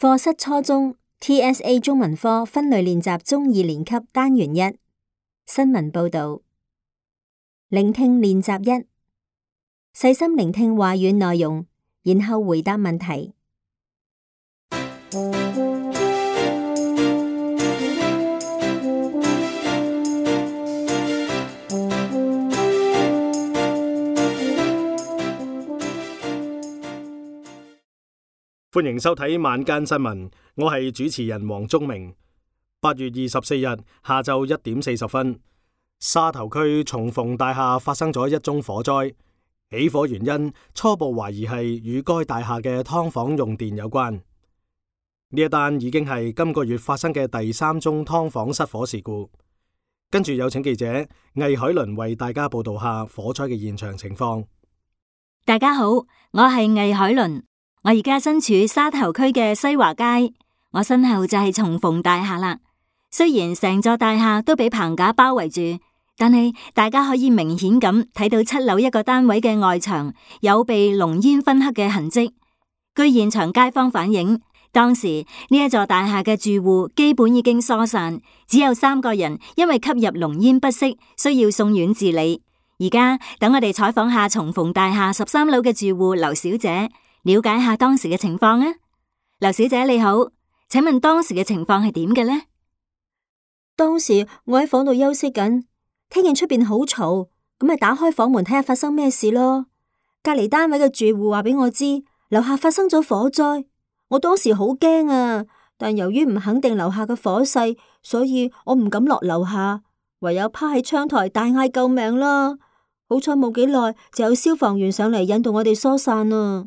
課室初中 TSA 中文科分類練習中2年級單元1新聞報導。聆聽練習1，細心聆聽話語內容，然後回答問題。歡迎收睇晚間新聞，我係主持人黃忠明。8月24日下晝1點40分，沙頭區重逢大廈發生咗一宗火災，起火原因初步懷疑係與該大廈嘅劏房用電有關。呢一單已經係今個月發生嘅第3宗劏房失火事故。跟住有請記者魏海倫為大家報道下火災嘅現場情況。大家好，我係魏海倫。我而家身處沙頭區嘅西華街，我身後就係重逢大廈啦。雖然成座大廈都俾棚架包圍住，但係大家可以明顯咁睇到7樓一個單位嘅外牆有被濃煙熏黑嘅痕跡。據現場街坊反映，當時呢一座大廈嘅住戶基本已經疏散，只有3個人因為吸入濃煙不適，需要送院治理。而家等我哋採訪下重逢大廈13樓嘅住戶劉小姐，了解下當時嘅情況啊。劉小姐你好，請問當時嘅情況係點嘅呢？當時我喺房度休息緊，聽見出邊好嘈，咁咪打開房門睇下發生咩事咯。隔籬單位嘅住戶話俾我知，樓下發生咗火災。我當時好驚啊，但由於唔肯定樓下嘅火勢，所以我唔敢落樓下，唯有趴喺窗台大嗌救命啦。好彩冇幾耐就有消防員上嚟引導我哋疏散啊。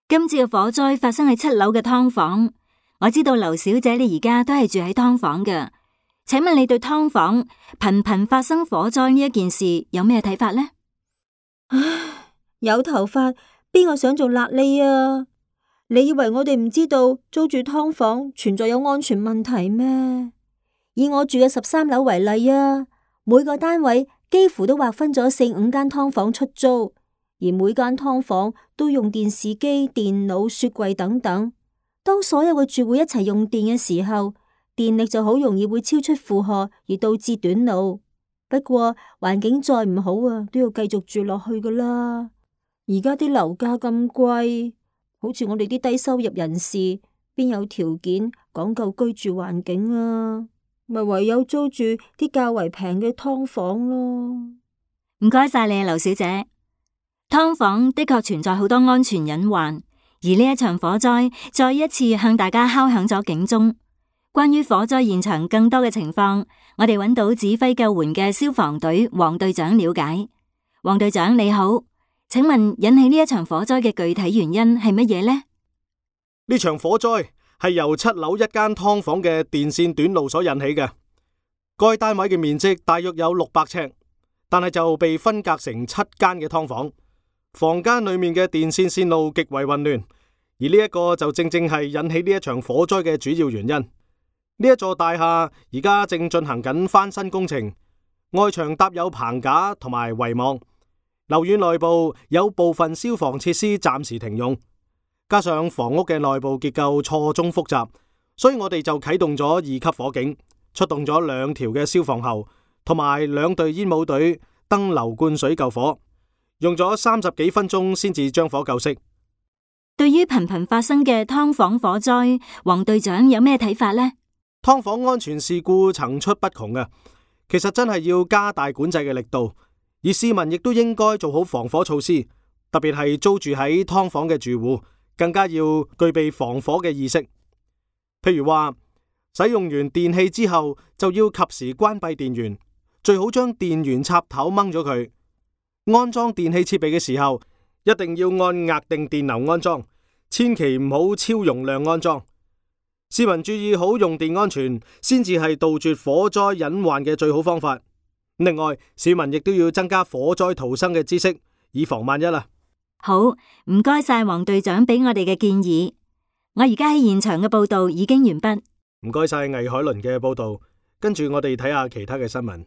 今次嘅火災發生喺7樓嘅劏房，我知道劉小姐你而家都係住喺劏房嘅，請問你對劏房頻頻發生火災呢一件事有咩睇法呢？唉，有頭髮邊個想做癩痢啊？你以為我哋唔知道租住劏房存在有安全問題咩？以我住嘅13樓為例啊，每個單位幾乎都劃分咗4、5間劏房出租。而每間劏房都用電視機、電腦、雪櫃等等。當所有嘅住戶一齊用電嘅時候，電力就好容易會超出負荷，而導致短路。不過環境再唔好啊，都要繼續住落去噶啦。而家啲樓價咁貴，好似我哋啲低收入人士，邊有條件講究居住環境啊？咪唯有租住啲較為平嘅劏房咯。唔該晒你啊，劉小姐。劏房的確存在好多安全隱患，而呢一場火災再一次向大家敲響咗警鐘。關於火災現場更多嘅情況，我哋揾到指揮救援嘅消防隊黃隊長了解。黃隊長你好，請問引起呢一場火災嘅具體原因係乜嘢呢？呢場火災係由7樓一間劏房嘅電線短路所引起嘅。該單位嘅面積大約有600尺，但係就被分隔成7間嘅劏房。房間裏面嘅電線線路極為混亂，而呢一個就正正係引起呢一場火災嘅主要原因。呢一座大廈而家正進行緊翻新工程，外牆搭有棚架同埋圍網，樓宇內部有部分消防設施暫時停用，加上房屋嘅內部結構錯綜複雜，所以我哋就啟動咗2級火警，出動咗2條嘅消防喉同埋2隊煙霧隊登樓灌水救火。用咗30幾分鐘先至將火救熄。對於頻頻發生嘅劏房火災，黃隊長有咩睇法呢？劏房安全事故層出不窮嘅，其實真係要加大管制嘅力度，而市民亦都應該做好防火措施，特別係租住喺劏房嘅住戶，更加要具備防火嘅意識。譬如話，使用完電器之後就要及時關閉電源，最好將電源插頭掹咗佢。安裝電器設備嘅時候，一定要按額定電流安裝，千祈唔好超容量安裝。市民注意好用電安全，先至係杜絕火災隱患嘅最好方法。另外，市民亦都要增加火災逃生嘅知識，以防萬一啦。好，唔該晒黃隊長俾我哋嘅建議。我而家喺現場嘅報道已經完畢。唔該晒魏海倫嘅報道，跟住我哋睇下其他嘅新聞。